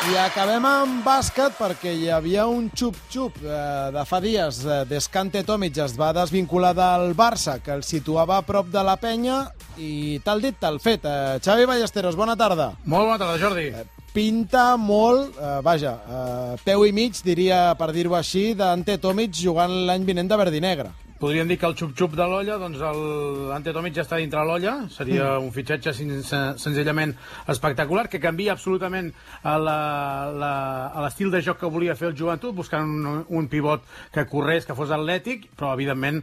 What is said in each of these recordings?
I acabem amb bàsquet perquè hi havia un xup-xup de fa dies des que Ante Tomic es va desvincular del Barça, que el situava a prop de la penya, i tal dit, tal fet. Xavi Ballesteros, bona tarda. Molt bona tarda, Jordi. Pinta molt, peu i mig, diria, per dir-ho així, d'Ante Tomic jugant l'any vinent de verd i negre. Podríem dir que el xup-xup de l'olla, doncs l'Ante Tomic ja està dintre l'olla. Seria un fitxatge senzillament espectacular, que canvia absolutament a l'estil de joc que volia fer el Joventut, buscant un pivot que corrés, que fos atlètic, però evidentment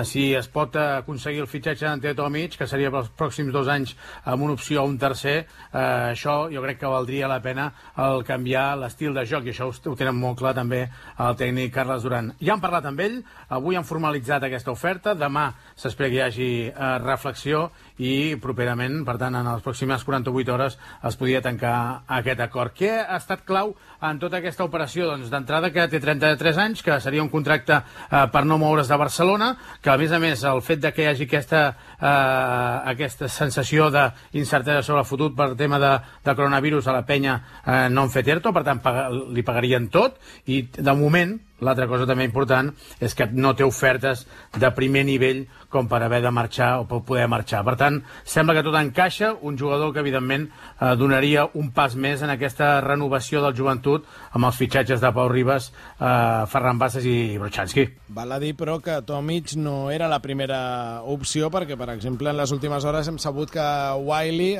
si es pot aconseguir el fitxatge d'Ante Tomic, que seria pels pròxims 2 anys amb una opció a un tercer, això jo crec que valdria la pena el canviar l'estil de joc, i això ho tenen molt clar també el tècnic Carles Duran. Ja han parlat amb ell, avui han formalitzat aquesta oferta, demà s'espera que hi hagi reflexió i properament, per tant, en les pròximes 48 hores es podria tancar aquest acord. Què ha estat clau en tota aquesta operació? Doncs d'entrada que té 33 anys, que seria un contracte per no moure's de Barcelona, que a més el fet de que hi hagi aquesta sensació d'incertesa sobre el futur per tema de coronavirus a la penya no han fet ERTO, per tant li pagarien tot, i de moment l'altra cosa també important és que no té ofertes de primer nivell com per haver de marxar o per poder marxar. Per tant, sembla que tot encaixa, un jugador que evidentment donaria un pas més en aquesta renovació del Joventut amb els fitxatges de Pau Ribas, Ferran Bassas i Brochanski. Val a dir, però, que Tomic no era la primera opció, perquè, per exemple, en les últimes hores hem sabut que Wiley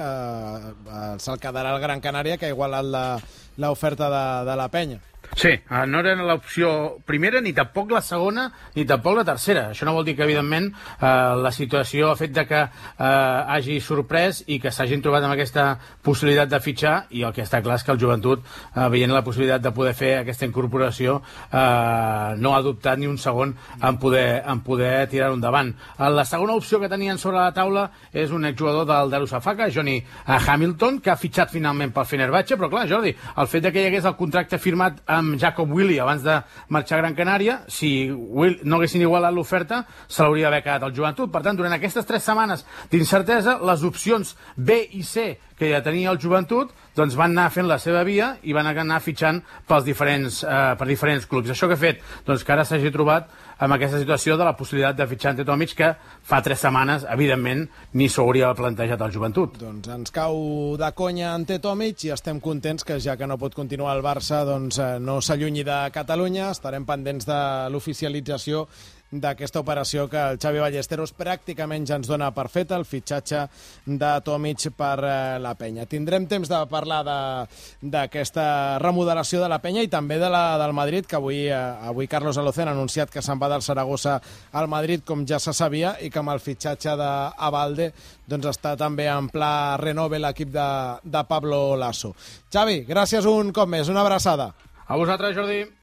se'l quedarà al Gran Canària, que ha igualat l'oferta de la penya. Sí, no era l'opció primera, ni tampoc la segona, ni tampoc la tercera. Això no vol dir que, evidentment, la situació ha fet de que hagi sorprès i que s'hagin trobat amb aquesta possibilitat de fitxar, i el que està clar és que el Joventut, veient la possibilitat de poder fer aquesta incorporació, no ha dubtat ni un segon en poder tirar-ho endavant. La segona opció que tenien sobre la taula és un exjugador del Darusafaka, Johnny Hamilton, que ha fitxat finalment pel Fenerbahçe, però clar, Jordi, el fet de que hi hagués el contracte firmat amb Jacob Willi abans de marxar a Gran Canària, si no haguessin igualat l'oferta, se l'hauria d'haver quedat el Joventut. Per tant, durant aquestes 3 setmanes d'incertesa, les opcions B i C que ja tenia el Joventut, doncs van anar fent la seva via i van anar fitxant per diferents clubs. Això que ha fet? Doncs que ara s'hagi trobat amb aquesta situació de la possibilitat de fitxar Ante Tomic, que fa 3 setmanes, evidentment, ni s'hauria plantejat el Joventut. Doncs ens cau de conya Ante Tomic i estem contents que, ja que no pot continuar al Barça, doncs no s'allunyi de Catalunya. Estarem pendents de l'oficialització d'aquesta operació que el Xavi Ballesteros pràcticament ja ens dona per feta, el fitxatge de Tomic per la penya. Tindrem temps de parlar d'aquesta remodelació de la penya i també de la del Madrid, que avui Carlos Alocen ha anunciat que se'n va del Saragossa al Madrid, com ja se sabia, i que amb el fitxatge d'Abalde doncs està també en pla renove l'equip de Pablo Lasso. Xavi, gràcies un cop més, una abraçada. A vosaltres, Jordi.